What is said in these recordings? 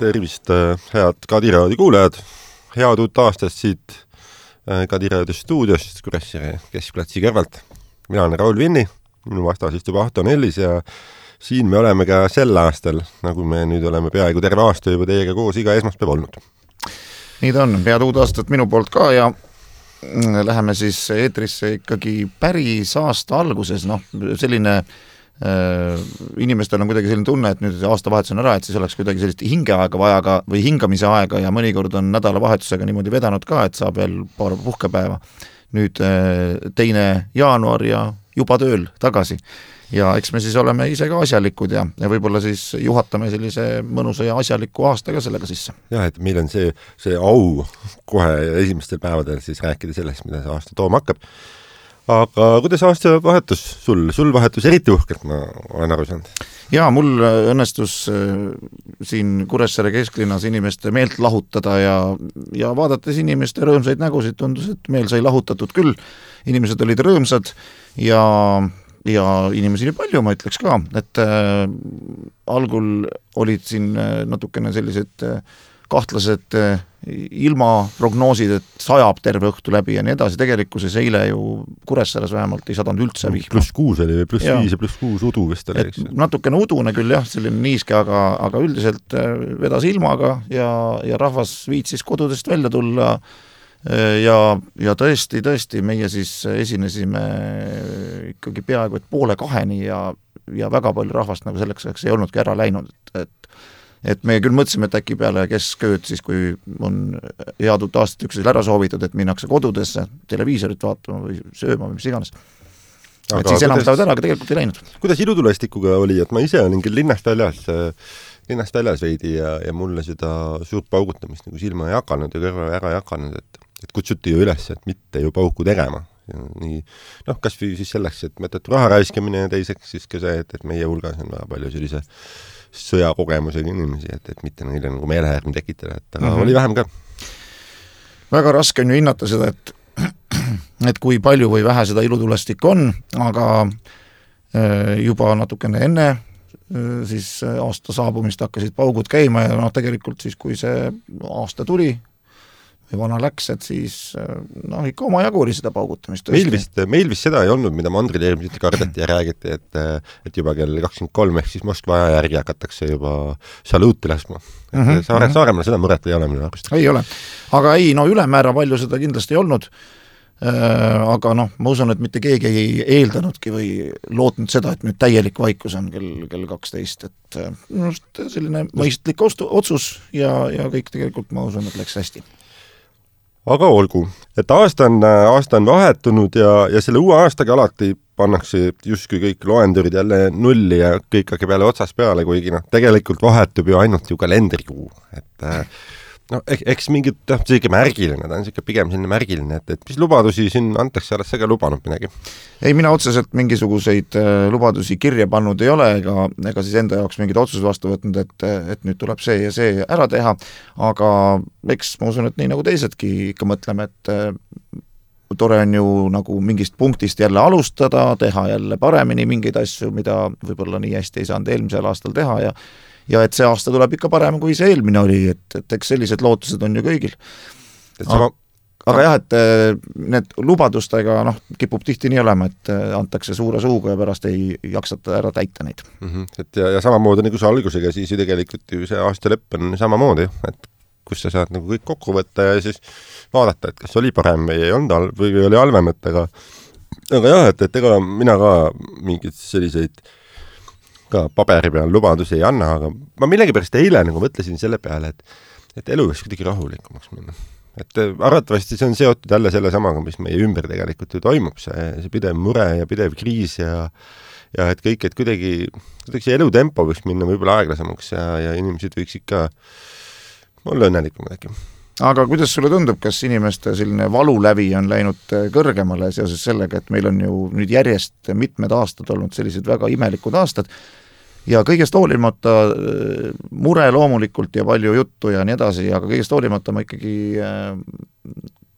Tervist, head Kadiraadi kuulajad. Head uut aastast siit Kadiraadi stuudiost Kuressaare keskplatsi kõrvalt. Mina olen Raul Vinni, minu vastas istub Ahto Nellis ja siin me oleme ka sel aastal, nagu me nüüd oleme peaaegu terve aasta juba teiega koos iga esmaspäev olnud. Nii ta on, head uut aastat minu poolt ka ja läheme siis eetrisse ikkagi päris aasta alguses, selline inimestel on kuidagi selline tunne, et nüüd aastavahetus on ära, et siis oleks kuidagi sellist hingeaega vaja või hingamise aega ja mõnikord on nädalavahetusega niimoodi vedanud ka, et saab veel paar puhkepäeva. Nüüd 2. jaanuar ja juba tööl tagasi. Ja eks me siis oleme ise ka asjalikud ja võib-olla siis juhatame sellise mõnusa ja asjaliku aastaga sellega sisse. Jah, et meil on see au kohe esimestel päevadel siis rääkida sellest, mida see aasta tooma hakkab. Aga kuidas aasta vahetus sul vahetus eriti uhkelt, ma olen aru saanud? Jaa, mul õnnestus siin Kuressaare kesklinnas inimeste meelt lahutada ja vaadates inimeste rõõmsaid nägusid tundus, et meel sai lahutatud küll. Inimesed olid rõõmsad ja inimesi oli palju, ma ütleks ka, et algul olid siin natukene sellised kahtlased ilmaprognoosid, et sajab terve õhtu läbi ja nii edasi. Tegelikkuses eile ju Kuressaares vähemalt ei sadanud üldse vihma. +6 oli või +5 ja +6 udu vist oli. Natukene udune küll jah, selline niiske, aga üldiselt vedas ilmaga ja rahvas viitsis kodudest välja tulla ja tõesti, meie siis esinesime ikkagi peaaegu et 1:30 ja väga palju rahvast nagu selleks ei olnudki ära läinud, et me küll mõtlesime, et äkki peale keskööd siis, kui on head uut aastat üksteisel ära soovitud, et minnakse kodudesse televiisorit vaatama või sööma või mis iganes. Et siis enam stavad ära, aga tegelikult ei läinud. Kuidas ilutulestikuga oli, et ma ise olen küll linnast väljas veidi ja mulle seda suurt paugutamist nagu silma ei hakanud ja kõrva ära ei hakanud, et kutsuti ju üles, et mitte ju pauku tegema. Ja nii, kas või siis selleks, et mõttetu raha raiskamine ja teiseks siis ka see, et meie hulgas on väga palju sellise sõjakogemusega inimesi, et mitte neile nagu meelehärmi tekitada, et oli vähem ka. Väga raske on ju hinnata seda, et kui palju või vähe seda ilutulestik on, aga juba natukene enne siis aasta saabumist hakkasid paugud käima ja tegelikult siis, kui see aasta tuli või vana läks, et siis ikka oma jagu oli seda paugutamist. Meil vist seda ei olnud, mida mandril eelmiselt kardeti ja räägiti, et juba kell 23 ehk siis Moskva aja järgi hakatakse juba saluuti laskma. Saaremaal seda muret ei ole minu arust. Ei ole, aga ülemäära palju seda kindlasti ei olnud, aga ma usun, et mitte keegi ei eeldanudki või lootnud seda, et nüüd täielik vaikus on kell 12, et selline mõistlik otsus ja kõik tegelikult ma usun, et läks hästi. Aga olgu, et aasta on vahetunud ja selle uue aastaga alati pannakse justkui kõik loendurid jälle nulli ja kõik hakkab jälle otsas peale, kuigi tegelikult vahetub ju ainult ju kalendrikuu, et eks mingid, see ikka märgiline, ta on ikka pigem selline märgiline, et mis lubadusi siin antakse, oled sa ka lubanud midagi? Ei, mina otseselt mingisuguseid lubadusi kirja pannud ei ole, ega siis enda jaoks mingid otsused vastu võtnud, et nüüd tuleb see ja see ära teha, aga eks ma usun, et nii nagu teisedki ikka mõtleme, et tore on ju nagu mingist punktist jälle alustada, teha jälle paremini mingeid asju, mida võib-olla nii hästi ei saanud eelmisel aastal teha ja et see aasta tuleb ikka parem, kui see eelmine oli, et eks sellised lootused on ju kõigil. Aga jah, et need lubadustega kipub tihti nii olema, et antakse suure suuga ja pärast ei jaksata ära täita neid. Et ja samamoodi nagu see algusega, siis ju tegelikult ju see aasta lõpp on samamoodi, et kus sa saad nagu kõik kokku võtta ja siis vaadata, et kas oli parem või ei olnud või oli halvem, aga jah, et ega mina ka mingid selliseid ka paberi peal lubadusi ei anna, aga ma millegipärast eile nagu mõtlesin selle peale, et elu võiks kuidagi rahulikumaks minna. Et arvatavasti see on seotud jälle selle samaga, mis meie ümber tegelikult ju toimub, see pidev mure ja pidev kriis ja et kõik, et kuidagi see elutempo võiks minna võib-olla aeglasemaks ja inimesed võiks ikka olla õnnelikum äkki. Aga kuidas sulle tundub, kas inimeste selline valulävi on läinud kõrgemale seoses sellega, et meil on ju nüüd järjest mitmed aastad olnud sellised väga imelikud aastad ja kõigest hoolimata mure loomulikult ja palju juttu ja nii edasi, aga kõigest hoolimata ma ikkagi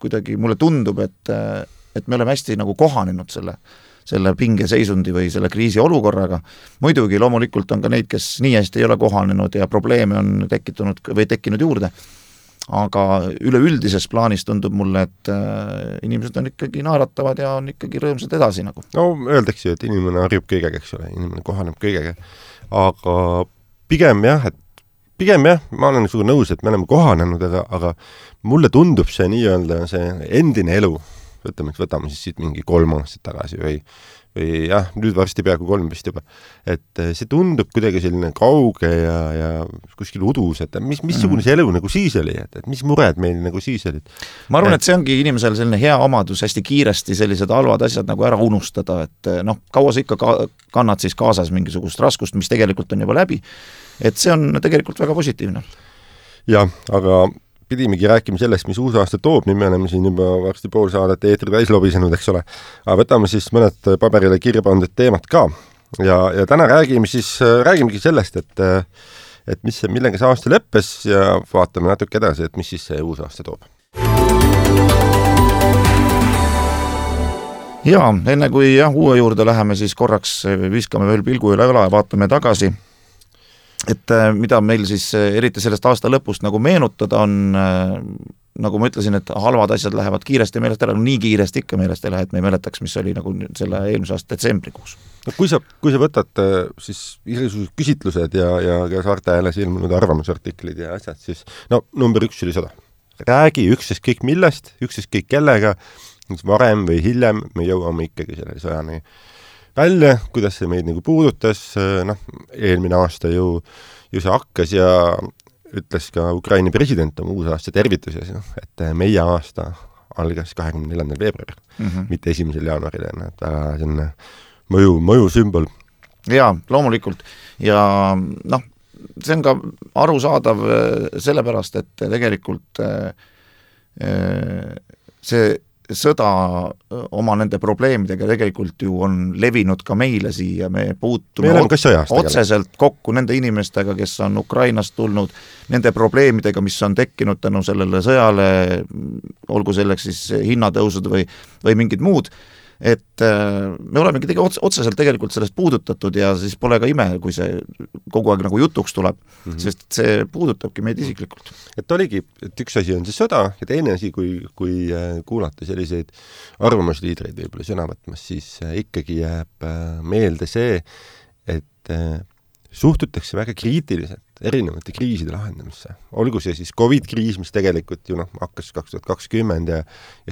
kuidagi mulle tundub, et me oleme hästi nagu kohanenud selle pingeseisundi või selle kriisiolukorraga. Muidugi loomulikult on ka neid, kes nii hästi ei ole kohanenud ja probleeme on tekkinud juurde. Aga üleüldises plaanis tundub mulle, et inimesed on ikkagi naeratavad ja on ikkagi rõõmsad edasi nagu. No öeldakse ju, et inimene harjub kõigega, eks ole, inimene kohaneb kõigega. Aga pigem jah, ma olen nõus, et me oleme kohanenud, aga mulle tundub see nii-öelda see endine elu, võtame siis siit mingi 3 aastat tagasi või jah, nüüd varsti peaaegu 3 vist juba, et see tundub kuidagi selline kauge ja kuskil udus, et missugune see elu nagu siis oli, et mis mured meil nagu siis olid. Ma arvan, et see ongi inimesel selline hea omadus hästi kiiresti sellised halvad asjad nagu ära unustada, et kaua sa ikka kannad siis kaasas mingisugust raskust, mis tegelikult on juba läbi, et see on tegelikult väga positiivne. Jah, aga pidimegi rääkima sellest, mis uus aasta toob, nii me oleme siin juba varsti pool saadet eetri täis lobisenud, eks ole. Aga võtame siis mõned paberile kirja pandud teemad ka. Ja täna räägimegi sellest, et millega see aasta lõppes ja vaatame natuke edasi, et mis siis see uus aasta toob. Ja, enne kui uue juurde läheme, siis korraks viskame veel pilgu üle ja vaatame tagasi. Et mida meil siis eriti sellest aasta lõpust nagu meenutada on, nagu ma ütlesin, et halvad asjad lähevad kiiresti meelest ära, nii kiiresti ikka meelest ei lähe, et me ei mäletaks, mis oli nagu selle eelmise aasta detsembrikuus. No, kui sa võtad siis igasugused küsitlused ja Saarte Hääles ilmunud arvamusartiklid ja asjad, siis number 1 oli 100. Räägi ükskõik millest, ükskõik kellega, varem või hiljem me jõuame ikkagi selle sõjani välja, kuidas see meid nagu puudutas, eelmine aasta ju see hakkas ja ütles ka Ukraina president oma uusaasta tervituses, et meie aasta algas 24. veebruaril, mitte 1. jaanuaril, et väga selline mõju sümbol. Jaa, loomulikult. Ja see on ka arusaadav sellepärast, et tegelikult see sõda oma nende probleemidega tegelikult ju on levinud ka meile siia, me puutume otseselt kokku nende inimestega, kes on Ukrainast tulnud, nende probleemidega, mis on tekkinud tänu sellele sõjale, olgu selleks siis hinnatõusud või mingid muud, et me olemegi otseselt tegelikult sellest puudutatud ja siis pole ka ime, kui see kogu aeg nagu jutuks tuleb, sest see puudutabki meid isiklikult. Et oligi, et üks asi on see sõda ja teine asi, kui kuulata selliseid arvamusliidreid võib-olla sõna võtmas, siis ikkagi jääb meelde see, et suhtutakse väga kriitiliselt erinevate kriiside lahendamisse. Olgu see siis COVID-kriis, mis tegelikult ju hakkas 2020 ja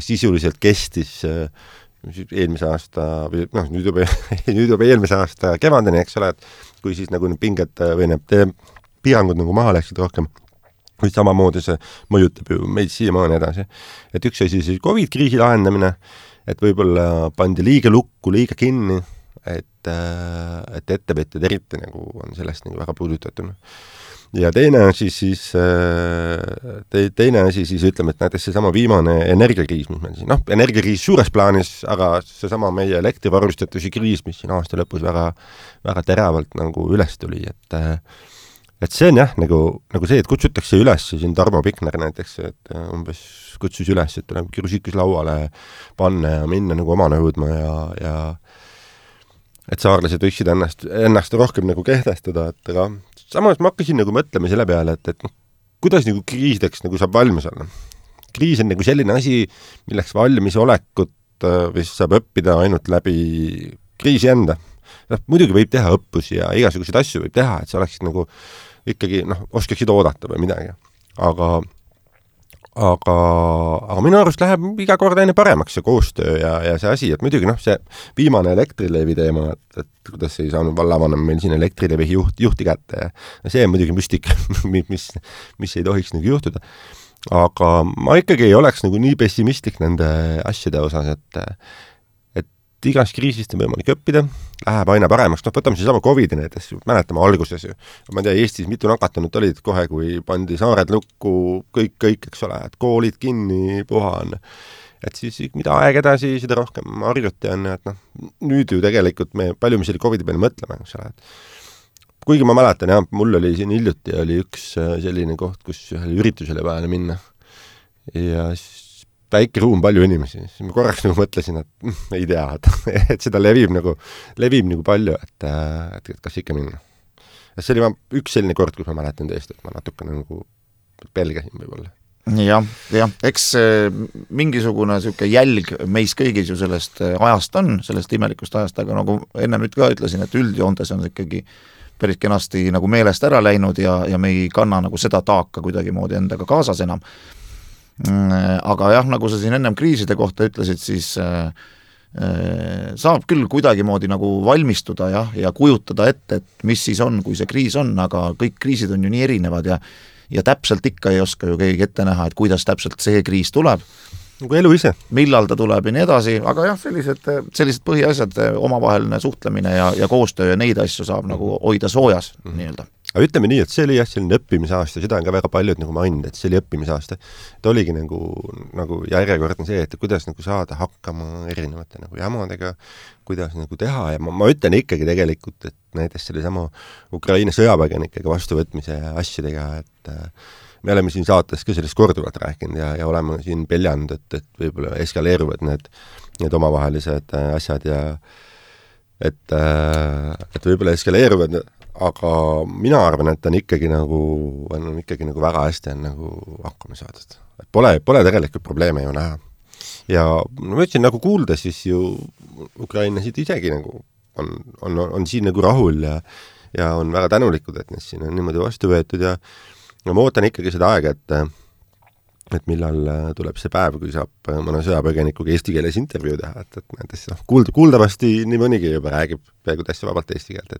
sisuliselt kestis eelmise aasta või nüüd juba eelmise aasta kevadeni, eks ole, et kui siis nagu need pinged või need piirangud nagu maha läksid rohkem, või samamoodi see mõjutab ju meid siiamaani edasi. Et üks asi siis COVID-kriisi lahendamine, et võib-olla pandi liiga lukku, liiga kinni, et ettevõtjad eriti nagu on sellest nagu väga puudutatud. Ja teine asi siis ütleme, et näiteks seesama viimane energiakriis, mis meil siin, energiakriis suures plaanis, aga seesama meie elektrivarustatuse kriis, mis siin aasta lõpus väga, väga teravalt nagu üles tuli, et see on jah, nagu see, et kutsutakse üles siin Tarmo Pikner näiteks, et umbes kutsus üles, et tuleb kirusikus lauale panna ja minna nagu oma nõudma ja et saarlased võiksid ennast rohkem nagu kehtestada, et aga samas ma hakkasin nagu mõtlema selle peale, et kuidas nagu kriisideks nagu saab valmis olla. Kriis on nagu selline asi, milleks valmisolekut või saab õppida ainult läbi kriisi enda. Muidugi võib teha õppusi ja igasuguseid asju võib teha, et sa oleksid nagu ikkagi, oskaksid oodata või midagi. Aga minu arust läheb iga kord aina paremaks see koostöö ja see asi, et muidugi see viimane Elektrilevi teema, et kuidas ei saanud vallavanem meil siin Elektrilevi juhti kätte ja see on muidugi müstika, mis ei tohiks nagu juhtuda. Aga ma ikkagi ei oleks nagu nii pessimistlik nende asjade osas, et igast kriisist on võimalik õppida, läheb aina paremaks, võtame siis sama COVID-i näiteks, mäletame alguses ju. Ma ei tea, Eestis mitu nakatunut olid kohe, kui pandi saared lukku, kõik, eks ole, et koolid kinni, puhan. Et siis mida aeg edasi, seda rohkem harjuti on, et nüüd ju tegelikult palju me selle COVID-i peale mõtleme, eks ole. Kuigi ma mäletan, mul oli siin hiljuti oli üks selline koht, kus ühele üritusele vahele minna. Ja väike ruum, palju inimesi, siis ma korraks nagu mõtlesin, et ei tea, et seda levib nagu palju, et kas ikka minna. See oli üks selline kord, kus ma mäletan tõesti, et ma natuke nagu pelgasin võib-olla. jah, eks mingisugune siuke jälg meis kõigis ju sellest ajast on, sellest imelikust ajast, aga nagu enne nüüd ka ütlesin, et üldjoontes on ikkagi päris kenasti nagu meelest ära läinud ja me ei kanna nagu seda taaka kuidagimoodi endaga kaasas enam. Aga jah, nagu sa siin ennem kriiside kohta ütlesid, siis saab küll kuidagimoodi nagu valmistuda ja kujutada ette, et mis siis on, kui see kriis on, aga kõik kriisid on ju nii erinevad ja täpselt ikka ei oska ju keegi ette näha, et kuidas täpselt see kriis tuleb. Nagu elu ise. Millal ta tuleb ja nii edasi, aga jah, sellised põhiasjad, omavaheline suhtlemine ja koostöö ja neid asju saab nagu hoida soojas nii-öelda. Aga ütleme nii, et see oli jah selline õppimisaasta, seda on ka väga paljud nagu maininud, et see oli õppimisaasta. Ta oligi nagu järjekordne see, et kuidas nagu saada hakkama erinevate nagu jamadega, kuidas nagu teha ja ma ütlen ikkagi tegelikult, et näiteks selle sama Ukraina sõjapõgenikega vastuvõtmise asjadega, et me oleme siin saates ka sellest korduvalt rääkinud ja oleme siin peljanud, et võib-olla eskaleeruvad need omavahelised asjad ja et võib-olla eskaleeruvad, aga mina arvan, et on ikkagi nagu väga hästi on nagu hakkama saadud. Et pole tegelikult probleeme ju näha. Ja ma ütlesin, nagu kuulda, siis ju ukrainlasid isegi nagu on siin nagu rahul ja on väga tänulikud, et need siin on niimoodi vastu võetud ja ma ootan ikkagi seda aega, et millal tuleb see päev, kui saab mõne sõjapõgenikuga eesti keeles intervjuu teha, et näiteks kuuldavasti nii mõnigi juba räägib peaaegu täitsa vabalt eesti keelt,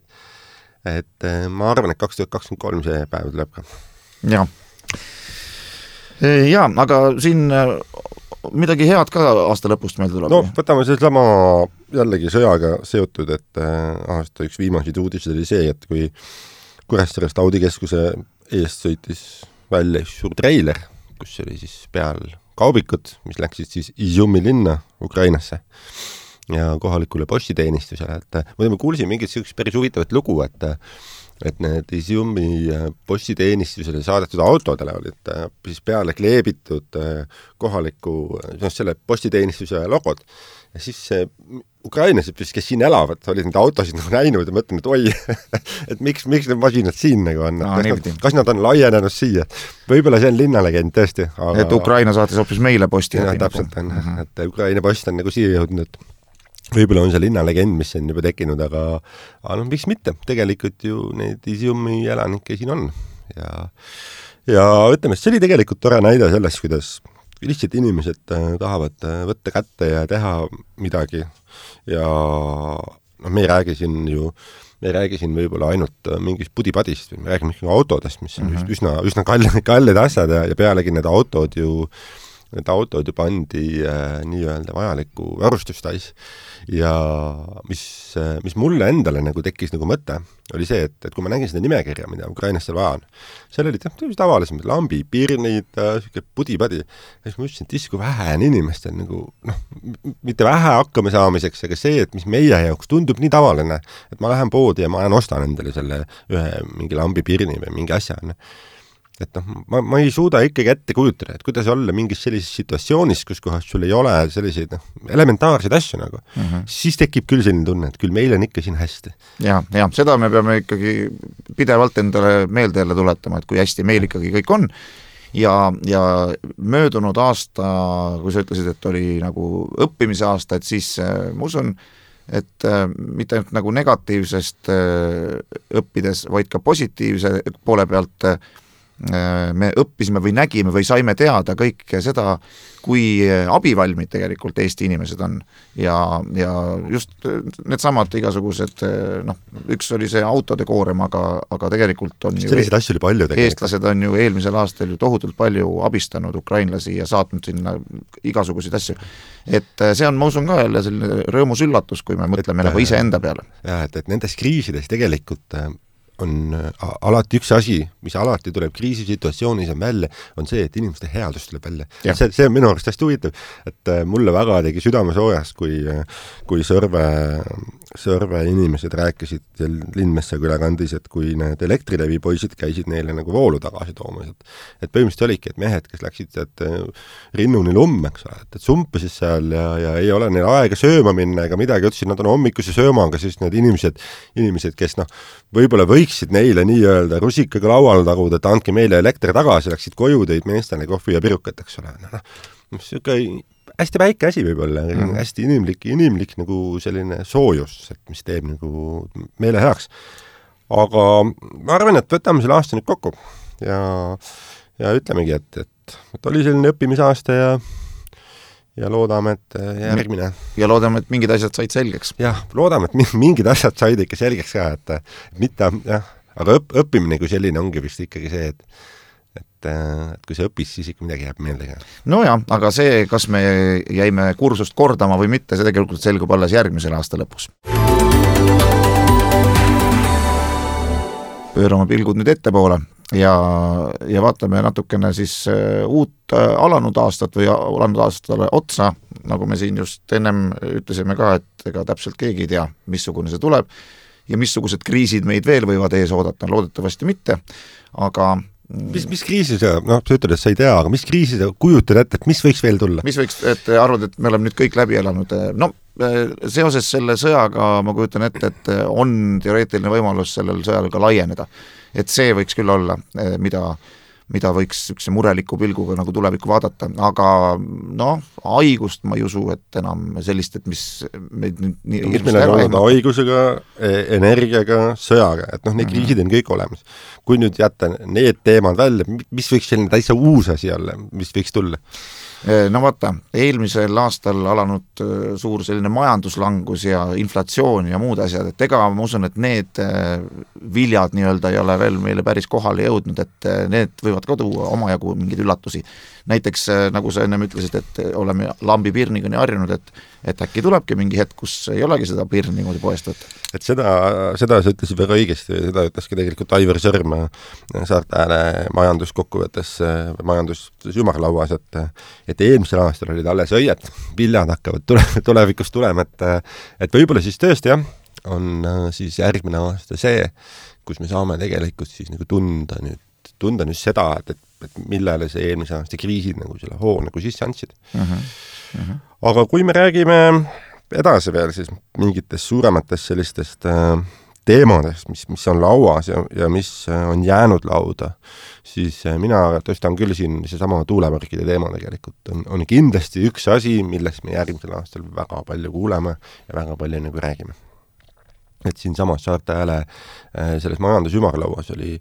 et ma arvan, et 2023 see päev tuleb ka. Ja, aga siin midagi head ka aasta lõpust meil tuleb? No, võtame see sama jällegi sõjaga seotud, et aasta üks viimaseid uudised oli see, et kui Kuressaarest Audi keskuse eest sõitis välja suur treiler, kus oli siis peal kaubikud, mis läksid siis Izumi linna Ukrainasse ja kohalikule postiteenistusele, et ma kuulsin mingit sellist päris huvitavat lugu, et need Izumi postiteenistusele saadetud autodele olid siis peale kleebitud kohaliku selle postiteenistuse logod ja siis ukrainlased, kes siin elavad, olid need autosid nagu näinud ja mõtlen, et oi, et miks need masinad siin nagu on, kas nad on laienenud siia. Võib-olla see on linnalegend tõesti. Aga... Et Ukraina saatis hoopis meile posti. Ja, täpselt on, et Ukraina post on nagu siia jõudnud, et võib-olla on see linnalegend, mis on juba tekkinud, aga no miks mitte, tegelikult ju neid Izumi elanikke siin on ja ütleme, see oli tegelikult tore näide sellest, kuidas lihtsalt inimesed tahavad võtta kätte ja teha midagi ja me ei räägi siin võib-olla ainult mingist pudipadist, me räägime ikkagi autodest, mis on üsna kallid asjad ja pealegi need autod ju pandi nii-öelda vajaliku varustustais ja mis mulle endale nagu tekkis nagu mõte, oli see, et kui ma nägin seda nimekirja, mida Ukrainast seal vaja on, seal olid tavalisemad lambi, pirnid, pudipadi, ja siis ma ütlesin, et kui vähe on inimestel nagu, mitte vähe hakkama saamiseks, aga see, et mis meie jaoks tundub nii tavaline, et ma lähen poodi ja ma ostan endale selle ühe mingi lambi pirni või mingi asja, et ma ei suuda ikkagi ette kujutada, et kuidas olla mingis sellises situatsioonis, kus kohas sul ei ole selliseid elementaarseid asju nagu, siis tekib küll selline tunne, et küll meil on ikka siin hästi. Ja, seda me peame ikkagi pidevalt endale meelde jälle tuletama, et kui hästi meil ikkagi kõik on ja möödunud aasta, kui sa ütlesid, et oli nagu õppimise aasta, et siis ma usun, et mitte ainult nagu negatiivsest õppides, vaid ka positiivse poole pealt me õppisime või nägime või saime teada kõike seda, kui abivalmid tegelikult Eesti inimesed on ja just needsamad igasugused, üks oli see autode koorem, aga tegelikult on selliseid asju oli palju tegelikult. Eestlased on ju eelmisel aastal ju tohutult palju abistanud ukrainlasi ja saatnud sinna igasuguseid asju. Et see on, ma usun ka jälle selline rõõmus üllatus, kui me mõtleme nagu ise enda peale. Ja, et nendes kriisides tegelikult on alati üks asi, mis alati tuleb kriisisituatsioonis on välja, on see, et inimeste headus tuleb välja. See on minu arust hästi huvitav, et mulle väga tegi südame soojas, kui Sõrve Sõrve inimesed rääkisid seal Lindmessa külakandis, et kui need Elektrilevi poisid käisid neile nagu voolu tagasi toomas, et põhimõtteliselt oligi, et mehed, kes läksid rinnuni lumme, eks ole, et sumpisid seal ja ei ole neil aega sööma minna ega midagi, ütlesid, nad on hommikuse söömaga, siis need inimesed, kes võib-olla võiksid neile nii-öelda rusikaga lauale taguda, et andke meile elekter tagasi, läksid koju, tõid meestele kohvi ja pirukat, eks ole. Niisugune hästi väike asi võib-olla, hästi inimlik nagu selline soojus, et mis teeb nagu meile heaks. Aga ma arvan, et võtame selle aasta nüüd kokku ja ütlemegi, et oli selline õppimisaasta ja loodame, et järgmine. Ja loodame, et mingid asjad said selgeks. Jah, loodame, et mingid asjad said ikka selgeks ka, et mitte, jah, aga õppimine kui selline ongi vist ikkagi see, et kui see õppis, siis ikka midagi jääb meelde. No jah, aga see, kas me jäime kursust kordama või mitte, see tegelikult selgub alles järgmisel aasta lõpus. Pöörame pilgud nüüd ettepoole ja vaatame natukene siis uut alanud aastat või alanud aastale otsa, nagu me siin just ennem ütlesime ka, et ega täpselt keegi ei tea, missugune see tuleb ja missugused kriisid meid veel võivad ees oodata, loodetavasti mitte, aga Mis kriisi sa, sa ütled, et sa ei tea, aga mis kriisi sa kujutad ette, et mis võiks veel tulla? Mis võiks, et arvad, et me oleme nüüd kõik läbi elanud? No, seoses selle sõjaga ma kujutan ette, et on teoreetiline võimalus sellel sõjal ka laieneda. Et see võiks küll olla, mida võiks üks mureliku pilguga nagu tulevikku vaadata, aga haigust ma ei usu, et enam sellist, et mis meid mis meil on haigusega, energiaga, sõjaga, et neid kriisid on kõik olemas. Kui nüüd jätta need teemad välja, mis võiks selline täitsa uus asi olla, mis võiks tulla? No vaata, eelmisel aastal alanud suur selline majanduslangus ja inflatsioon ja muud asjad, et ega ma usun, et need viljad ei ole veel meile päris kohale jõudnud, et need võivad ka tuua omajagu mingeid üllatusi. Näiteks, nagu sa ennem ütlesid, et oleme lambipirniga nii harjunud, et äkki tulebki mingi hetk, kus ei olegi seda pirni niimoodi poest võtta. Et seda sa ütlesid väga õigesti, seda ütleski tegelikult Aivar Sõrm Saarte Ääle majanduskokkuvõttes, majandusymarlauas, et eelmisel aastal olid alles õied, viljad hakkavad tulevikus tulema, et võib-olla siis tõesti on siis järgmine aasta see, kus me saame tegelikult siis nagu tunda nüüd seda, et millele see eelmise aasta kriisid nagu selle hoo nagu sisse andsid. Aga kui me räägime edasi veel siis mingitest suurematest sellistest teemadest, mis on lauas ja mis on jäänud lauda, siis mina tõstan küll siin seesama tuuleparkide teema tegelikult. On kindlasti üks asi, millest me järgmisel aastal väga palju kuuleme ja väga palju nagu räägime. Et siin samas Saarte Ääle selles majandusymarlauas oli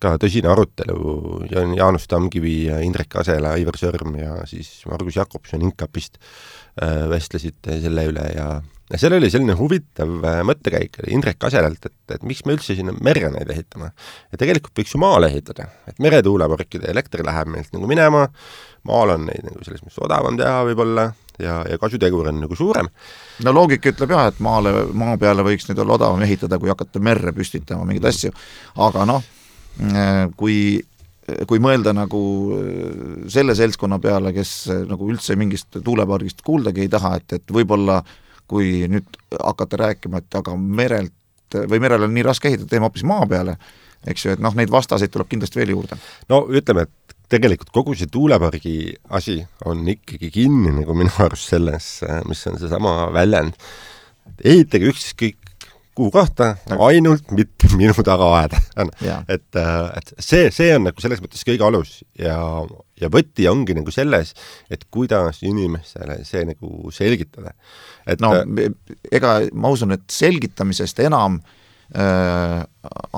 ka tõsine arutelu Jaanus Tamkivi, Indrek Asela, Aivar Sõrm ja siis Margus Jakobson Inkapist vestlesid selle üle ja seal oli selline huvitav mõttekäik Indrek Aselalt, et miks me üldse sinna merre neid ehitame. Ja tegelikult võiks ju maale ehitada, et meretuuleparkide elektri läheb meilt nagu minema, maal on neid nagu selles mõttes odavam teha võib-olla ja kasutegur on nagu suurem. No loogika ütleb jah, et maa peale võiks nüüd olla odavam ehitada, kui hakata merre püstitama mingeid asju, aga kui mõelda nagu selle seltskonna peale, kes nagu üldse mingist tuulepargist kuuldagi ei taha, et võib-olla kui nüüd hakata rääkima, et aga merel on nii raske ehitada, teema hoopis maa peale, eks ju, et neid vastaseid tuleb kindlasti veel juurde. No ütleme, et tegelikult kogu see tuulepargi asi on ikkagi kinni nagu minu arust selles, mis on seesama väljend. Ehitage ükskõik kuhu kohta, ainult mitte minu tagaaeda. Et see on nagu selles mõttes kõige alus ja võti ongi nagu selles, et kuidas inimestele see nagu selgitada. Ega ma usun, et selgitamisest enam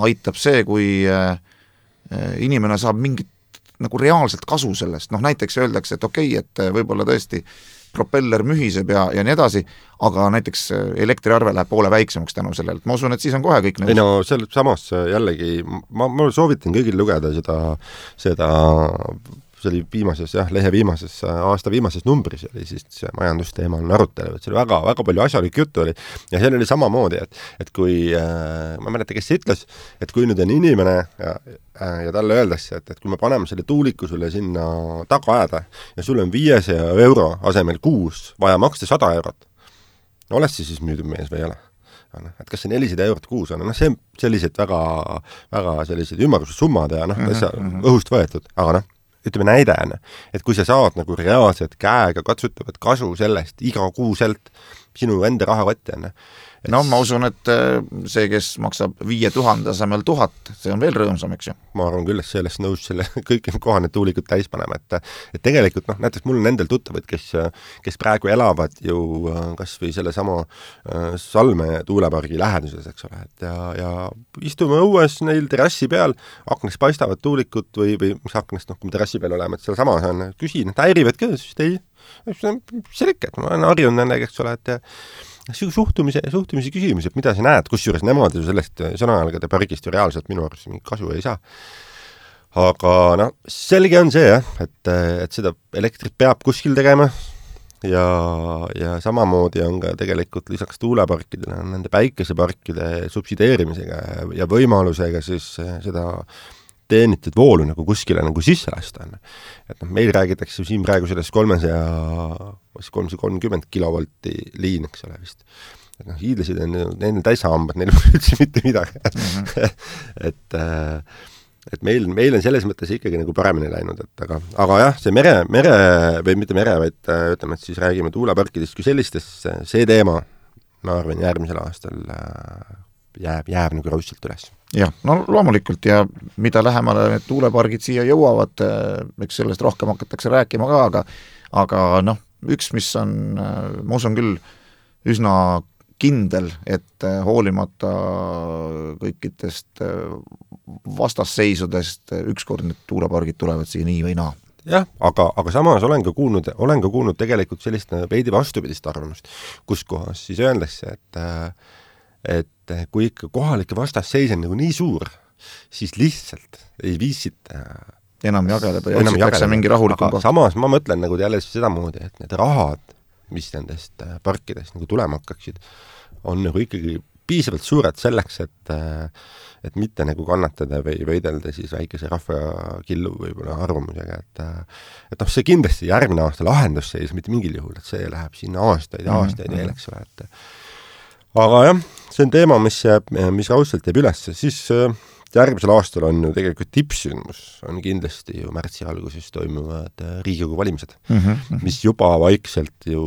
aitab see, kui inimene saab mingit nagu reaalselt kasu sellest, näiteks öeldakse, et okei, et võib-olla tõesti propeller mühiseb ja nii edasi, aga näiteks elektriarve läheb poole väiksemaks tänu sellele, ma usun, et siis on kohe kõik nõus. Ei no selles samas jällegi, ma soovitan kõigil lugeda seda see oli viimases, lehe viimases, aasta viimases numbris oli siis see majandusteemal arutelu, et see oli väga, väga palju asjalik juttu oli ja seal oli samamoodi, et kui, ma mäleta, kes see ütles, et kui nüüd on inimene ja talle öeldakse, et kui me paneme selle tuuliku sulle sinna tagaaeda ja sul on 500 € asemel kuus vaja maksta 100 €, oled siis müüdud mees või ei ole? et kas see 400 eurot kuus on, see sellised väga sellised ümmargused summad ja õhust võetud, aga ütleme näide on, et kui sa saad nagu reaalselt käega katsutavat kasu sellest iga kuuselt sinu enda rahakotti on. Ma usun, et see, kes maksab 5000 asemel 1000, see on veel rõõmsam, eks ju? Ma arvan küll, et sellest nõus selle kõik kohane tuulikud täis panema, et tegelikult näiteks mul on endal tuttavad, kes praegu elavad ju kas või selle sama Salme tuulepargi läheduses, eks ole, et ja istume õues neil terrassi peal, aknast paistavad tuulikud või mis aknast, kui me terrassi peal oleme, et seal samas on, küsin, et häirivad ka, siis ei, see ikka, et ma olen harjunud nendega, eks ole, et suhtumise küsimus, et mida sa näed, kusjuures nemad ju sellest sõnajalgade pargist ju reaalselt minu arust mingit kasu ei saa. Aga selge on see, et seda elektrit peab kuskil tegema ja samamoodi on ka tegelikult lisaks tuuleparkidele nende päikeseparkide subsideerimisega ja võimalusega siis seda teenitud voolu nagu kuskile nagu sisse lasta on. Et meil räägitakse siin praegu sellest 330 kilovolti liin, eks ole vist. Et hiidlased on neil täishambad, neil on üldse mitte midagi. et meil on selles mõttes ikkagi nagu paremini läinud, et aga jah, see mere või mitte mere, vaid ütleme, et siis räägime tuuleparkidest kui sellistest, see teema, ma arvan, järgmisel aastal jääb nagu raudselt üles. Jah, loomulikult ja mida lähemale need tuulepargid siia jõuavad, eks sellest rohkem hakatakse rääkima ka, aga üks, mis on, ma usun küll, üsna kindel, et hoolimata kõikidest vastasseisudest ükskord need tuulepargid tulevad siia nii või naa. Jah, aga samas olen ka kuulnud tegelikult sellist veidi vastupidist arvamust, kus kohas siis öeldakse, et kui ikka kohalike vastasseis on nagu nii suur, siis lihtsalt ei viisita enam jageleda ja otsitakse mingi rahulikum koht. Samas ma mõtlen nagu jälle sedamoodi, et need rahad, mis nendest parkidest nagu tulema hakkaksid, on nagu ikkagi piisavalt suured selleks, et mitte nagu kannatada või võidelda siis väikese rahvakillu võib-olla arvamusega, et see kindlasti järgmine aasta lahendusseis mitte mingil juhul, et see läheb sinna aastaid veel, eks ole, aga jah, see on teema, mis raudselt jääb üles, siis järgmisel aastal on ju tegelikult tippsündmus, on kindlasti ju märtsi alguses toimuvad Riigikogu valimised, mis juba vaikselt ju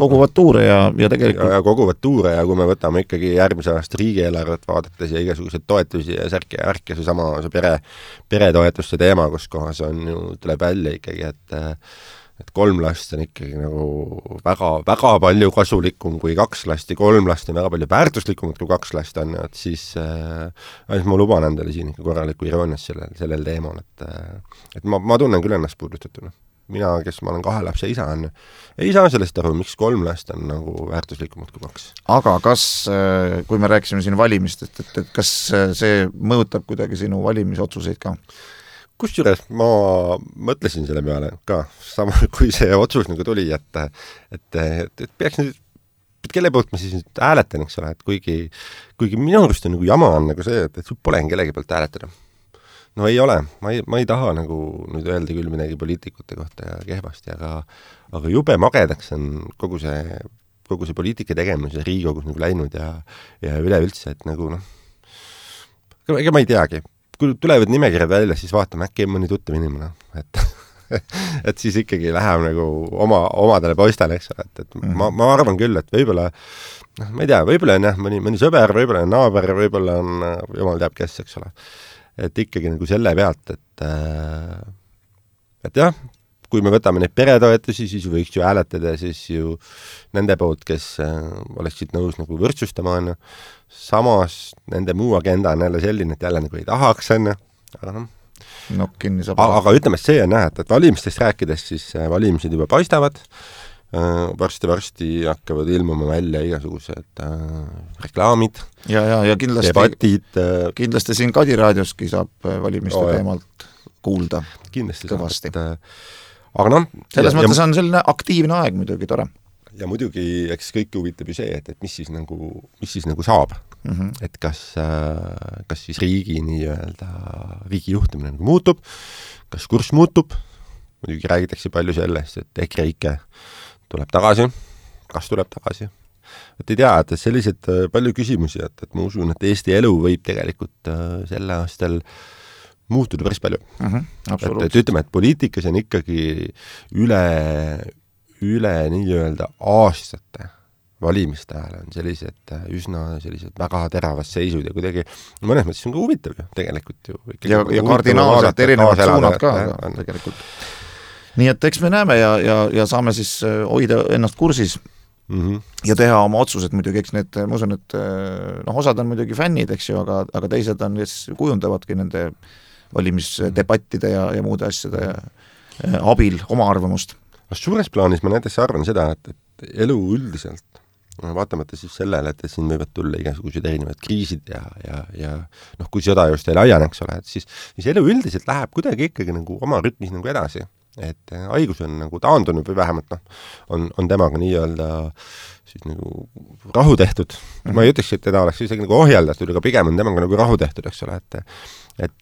koguvad tuure ja tegelikult koguvad tuure ja kui me võtame ikkagi järgmise aasta riigieelarvet vaadates ja igasuguseid toetusi ja särki ja värki, see peretoetuste teema, kus kohas on ju, tuleb välja ikkagi, et 3 last on ikkagi nagu väga palju kasulikum kui 2 last ja 3 last on väga palju väärtuslikumad kui 2 last on, et siis ma luban endale siin ikka korralikku iroonias sellel teemal, et ma tunnen küll ennast puudustatuna. Mina, kes ma olen 2 lapse isa on, ei saa sellest aru, miks 3 last on nagu väärtuslikumad kui 2. Aga kas, kui me rääkisime siin valimistest, et kas see mõjutab kuidagi sinu valimisotsuseid ka? Kusjuures ma mõtlesin selle peale ka, sama kui see otsus nagu tuli, et peaks nüüd, kelle poolt ma siis nüüd hääletan, eks ole, et kuigi minu arust on nagu jama on nagu see, et sul pole kellegi poolt hääletada. Ei ole, ma ei taha nagu nüüd öelda küll midagi poliitikute kohta ja kehvasti, aga jube magedaks on kogu see poliitika tegemise Riigikogus nagu läinud ja üleüldse, et nagu ega ma ei teagi. Kui tulevad nimekirjad välja, siis vaatame, äkki mõni tuttav inimene, et siis ikkagi läheb nagu omadele poistele, eks ole, et ma arvan küll, et võib-olla, ma ei tea, võib-olla on jah, mõni sõber, võib-olla on naaber, võib-olla on jumal teab kes, eks ole, et ikkagi nagu selle pealt, et jah, kui me võtame neid peretoetusi, siis võiks ju hääletada siis ju nende poolt, kes oleksid nõus nagu võrdsustama, samas nende muu agenda on jälle selline, et jälle nagu ei tahaks, aga aga ütleme, et see on näha, et valimistest rääkides, siis valimised juba paistavad, varsti hakkavad ilmuma välja igasugused reklaamid ja kindlasti, debatid. Kindlasti siin Kadi raadioski saab valimiste teemalt kuulda kindlasti kõvasti. Aga selles mõttes on selline aktiivne aeg muidugi tore. Ja muidugi, eks kõik huvitab ju see, et mis siis nagu saab. Et kas siis riigi riigi juhtimine nagu muutub, kas kurss muutub, muidugi räägitakse palju sellest, et EKREIKE tuleb tagasi, kas tuleb tagasi, et ei tea, et sellised palju küsimusi, et ma usun, et Eesti elu võib tegelikult sel aastal muutuda päris palju. Et ütleme, et poliitikas on ikkagi üle nii-öelda aastate valimiste ajal on sellised üsna sellised väga teravad seisud ja kuidagi mõnes mõttes on ka huvitav ju tegelikult ju. Ja kardinaalselt erinevad suunad ka tegelikult. Nii et eks me näeme ja saame siis hoida ennast kursis ja teha oma otsused muidugi, eks need, ma usun, et osad on muidugi fännid, eks ju, aga teised on, kes kujundavadki nende valimisdebattide ja muude asjade abil oma arvamust. Suures plaanis ma näiteks arvan seda, et elu üldiselt vaatamata siis sellele, et siin võivad tulla igasugused erinevad kriisid ja kui sõda just ei laieneks ole, et siis elu üldiselt läheb kuidagi ikkagi nagu oma rütmis nagu edasi. Et haigus on nagu taandunud või vähemalt on temaga nii-öelda siis nagu rahu tehtud. Ma ei ütleks, et teda oleks isegi nagu ohjeldatud, aga pigem on temaga nagu rahu tehtud, eks ole, et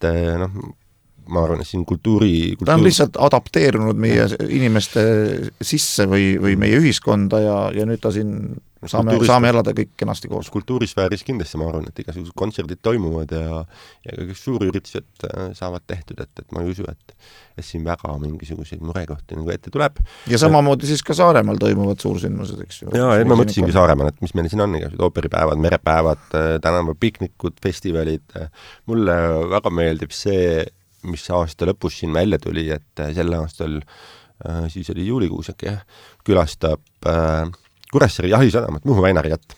ma arvan, et siin ta on lihtsalt adapteerunud meie inimeste sisse või meie ühiskonda ja nüüd ta siin saame elada kõik kenasti koos. Kultuurisfääris kindlasti ma arvan, et igasugused kontserdid toimuvad ja kõik suurüritused saavad tehtud, et ma ei usu, et siin väga mingisuguseid murekohti nagu ette tuleb. Ja samamoodi siis ka Saaremaal toimuvad suursündmused, eks ju. Jaa, ma mõtlesingi Saaremaal, et mis meil siin on, ooperipäevad, merepäevad, tänavapiknikud, festivalid. Mulle väga meeldib see, mis aasta lõpus siin välja tuli, et sel aastal, siis oli juulikuus äkki, külastab Kuressaare jahisadamat, Muhu Väinariat.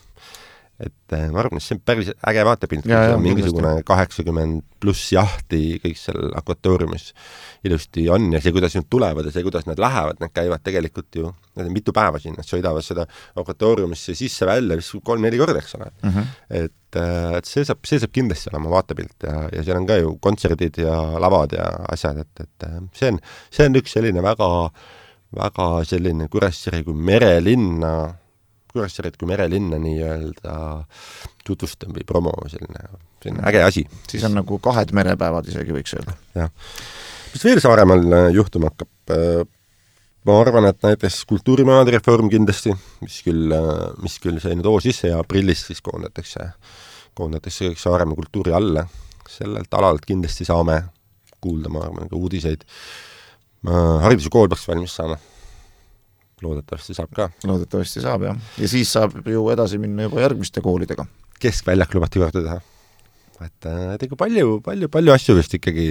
Et ma arvan, et see on päris äge vaatepilt, mingisugune 80 pluss jahti kõik seal akvatooriumis ilusti on ja see, kuidas nad tulevad ja see, kuidas nad lähevad, nad käivad tegelikult ju, nad on mitu päeva siin, nad sõidavad seda akvatooriumisse sisse välja, mis 3-4 korda, eks ole. Et see saab kindlasti olema vaatepilt ja seal on ka ju kontserdid ja lavad ja asjad, et see on üks selline väga selline Kuressaare kui merelinna nii-öelda tutvustan või promo, selline äge asi. Siis on nagu 2 merepäevad isegi võiks öelda. Jah. Mis veel Saaremaal juhtuma hakkab? Ma arvan, et näiteks kultuurimajade reform kindlasti, mis küll sai nüüd sisse ja aprillis siis koondatakse kõik Saaremaa kultuuri alla. Sellelt alalt kindlasti saame kuulda, ma arvan, ka uudiseid. Hariduse kool peaks valmis saama. Loodetavasti saab ka. Loodetavasti saab, jah. Ja siis saab ju edasi minna juba järgmiste koolidega. Keskväljak lubati korda teha. Et palju asju vist ikkagi,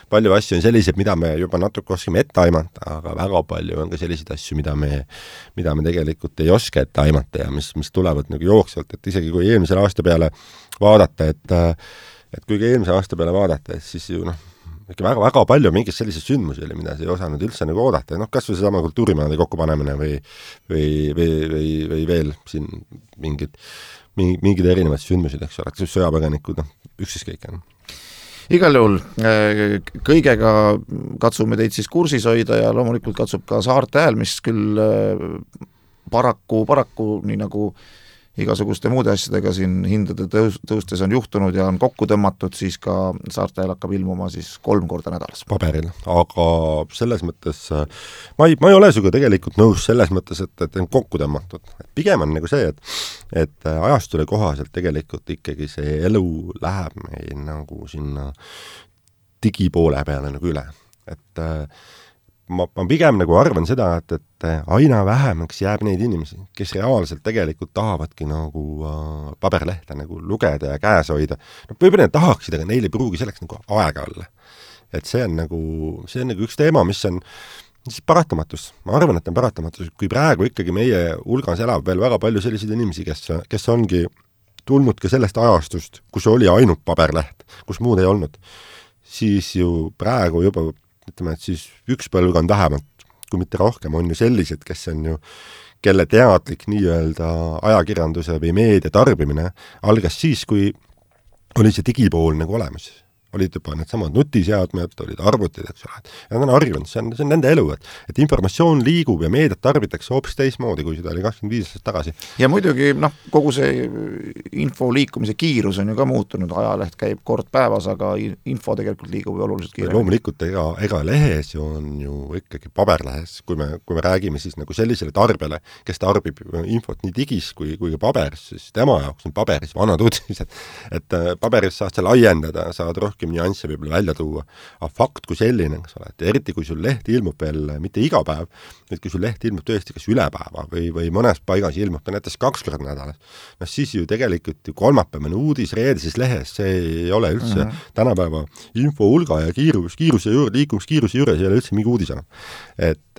palju asju on sellised, mida me juba natuke oskame ette aimata, aga väga palju on ka selliseid asju, mida me tegelikult ei oska ette aimata ja mis tulevad nagu jooksvalt, et isegi kui eelmisel aasta peale vaadata, et kui eelmise aasta peale vaadata, et siis ju ikka väga palju mingid sellised sündmusi oli, mida ei osanud üldse nagu oodata. Kas või seesama kultuurimajade kokkupanemine või veel siin mingid erinevad sündmused, eks ole, sõjapõgenikud, ükskõik on. Igal juhul kõigega katsume teid siis kursis hoida ja loomulikult katsub ka Saarte Hääl, mis küll paraku nii nagu igasuguste muude asjadega siin hindade tõustes on juhtunud ja on kokku tõmmatud, siis ka Saarte Hääl hakkab ilmuma siis 3 korda nädalas. Paberil, aga selles mõttes ma ei ole suga tegelikult nõus selles mõttes, et on kokku tõmmatud. Pigem on nagu see, et ajastule kohaselt tegelikult ikkagi see elu läheb meil nagu sinna digipoole peale nagu üle. Et ma pigem nagu arvan seda, et aina vähemaks jääb neid inimesi, kes reaalselt tegelikult tahavadki nagu paberlehte nagu lugeda ja käes hoida. Võib-olla need tahaksid, aga neil ei pruugi selleks nagu aega olla. Et see on nagu üks teema, mis on siis paratamatus. Ma arvan, et on paratamatus, kui praegu ikkagi meie hulgas elab veel väga palju selliseid inimesi, kes ongi tulnud ka sellest ajastust, kus oli ainult paberleht, kus muud ei olnud, siis ju praegu juba ütleme, et siis üks põlvkond vähemalt, kui mitte rohkem, on ju sellised, kes on ju, kelle teadlik nii-öelda ajakirjanduse või meedia tarbimine algas siis, kui oli see digipool nagu olemas. olid juba need samad nutiseadmed, olid arvutid, eks ole, ja nad on harjunud, see on nende elu, et informatsioon liigub ja meediat tarbitakse hoopis teismoodi, kui seda oli 25 aastat tagasi. Ja muidugi, kogu see info liikumise kiirus on ju ka muutunud, ajaleht käib kord päevas, aga info tegelikult liigub oluliselt kiiremini. Loomulikult, ega lehes on ju ikkagi paberlehes, kui me räägime siis nagu sellisele tarbele, kes tarbib infot nii digis kui ka paberis, siis tema jaoks on paberis vanad uudised, et paberis saad sa laiendada, saad rohkem nüansse võib-olla välja tuua, aga fakt kui selline, eks ole, et eriti kui sul leht ilmub veel mitte iga päev, et kui sul leht ilmub tõesti kas üle päeva või mõnes paigas ilmub ta näiteks 2 korda nädalas, siis ju tegelikult kolmapäevane uudis reedises lehes, see ei ole üldse tänapäeva info hulga ja kiiruse juurde, liikumiskiiruse juures ei ole üldse mingi uudis enam. Et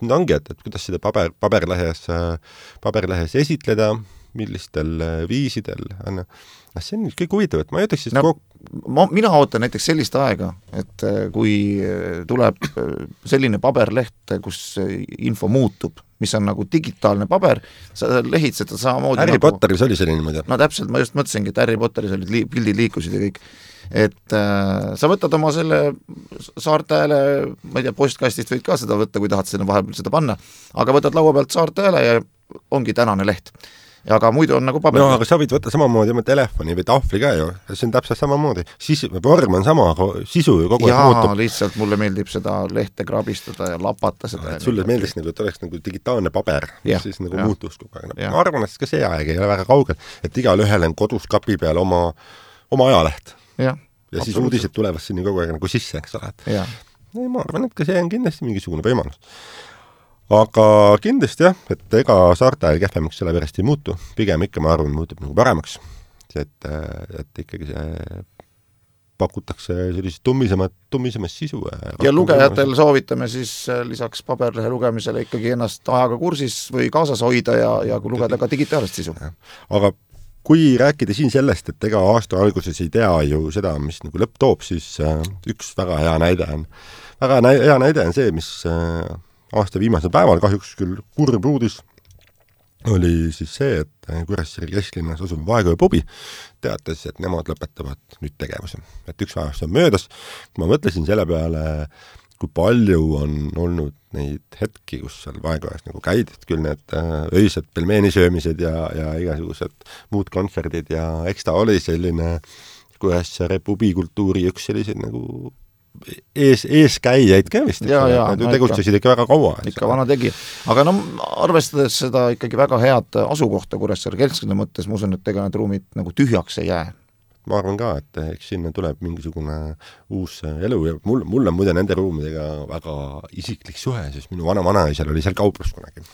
nüüd ongi, et kuidas seda paberlehes esitleda, millistel viisidel, see on kõik huvitav, et ma ei ütleks siis mina ootan näiteks sellist aega, et kui tuleb selline paberleht, kus info muutub, mis on nagu digitaalne paber, sa lehid seda samamoodi Harry Potteris oli selline muidu. No täpselt, ma just mõtlesingi, et Harry Potteris olid pildid liikusid ja kõik. Et sa võtad oma selle Saartääle, ma ei tea, postkastist võid ka seda võtta, kui tahad sinna vahepeal seda panna, aga võtad laua pealt Saartääle ja ongi tänane leht. Ja aga muidu on nagu paber. No, aga sa võid võtta samamoodi oma telefoni või tahvli ka ju, see on täpselt samamoodi. Vorm on sama, sisu ju kogu aeg muutub. Lihtsalt mulle meeldib seda lehte krabistada ja lapata seda. Sulle meeldiks nagu, et oleks nagu digitaalne paber, siis nagu muutus kogu aeg. Ma arvan, et ka see aeg ei ole väga kaugel, et igal ühel on kodus kapi peal oma ajaleht. Ja siis uudised tulevad sinna kogu aeg nagu sisse, eks ole. Ma arvan, et ka see on kindlasti mingisugune võimalus. Aga kindlasti jah, et ega Saartääl kehvemaks selle pärast ei muutu, pigem ikka ma arvan, muutub nagu paremaks, et ikkagi see pakutakse sellist tummisemat sisu. Ja lugejatel soovitame siis lisaks paberlehe lugemisele ikkagi ennast ajaga kursis või kaasas hoida ja kui lugeda ka digitaalset sisu. Aga kui rääkida siin sellest, et ega aasta alguses ei tea ju seda, mis nagu lõpp toob, siis üks väga hea näide on see, mis aasta viimasel päeval, kahjuks küll kurb uudis, oli siis see, et Kuressaare kesklinnas asuv Vaekoja pubi teatas, et nemad lõpetavad nüüd tegevuse. Et üks aasta on möödas, kui ma mõtlesin selle peale, kui palju on olnud neid hetki, kus seal Vaekojas nagu käid, et küll need öised pelmeenisöömised ja igasugused muud kontserdid ja eks ta oli selline Kuressaare pubikultuuri üks selliseid nagu eeskäijaid ka vist, nad ju tegutsesid ikka väga kaua. Ikka vana tegi. Aga arvestades seda ikkagi väga head asukohta Kuressaare kesklinna mõttes, ma usun, et ega need ruumid nagu tühjaks ei jää. Ma arvan ka, et eks sinna tuleb mingisugune uus elu ja mul on muide nende ruumidega väga isiklik suhe, sest minu vanaisal oli seal kauplus kunagi.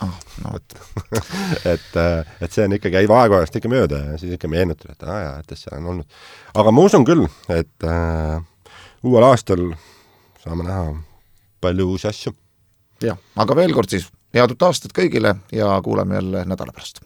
et see on ikkagi, ei Vaekojast ikka mööda ja siis ikka meenutud, et seal on olnud. Aga ma usun küll, et uuel aastal saame näha palju uusi asju. Jah, aga veel kord siis head uut aastat kõigile ja kuuleme jälle nädala pärast.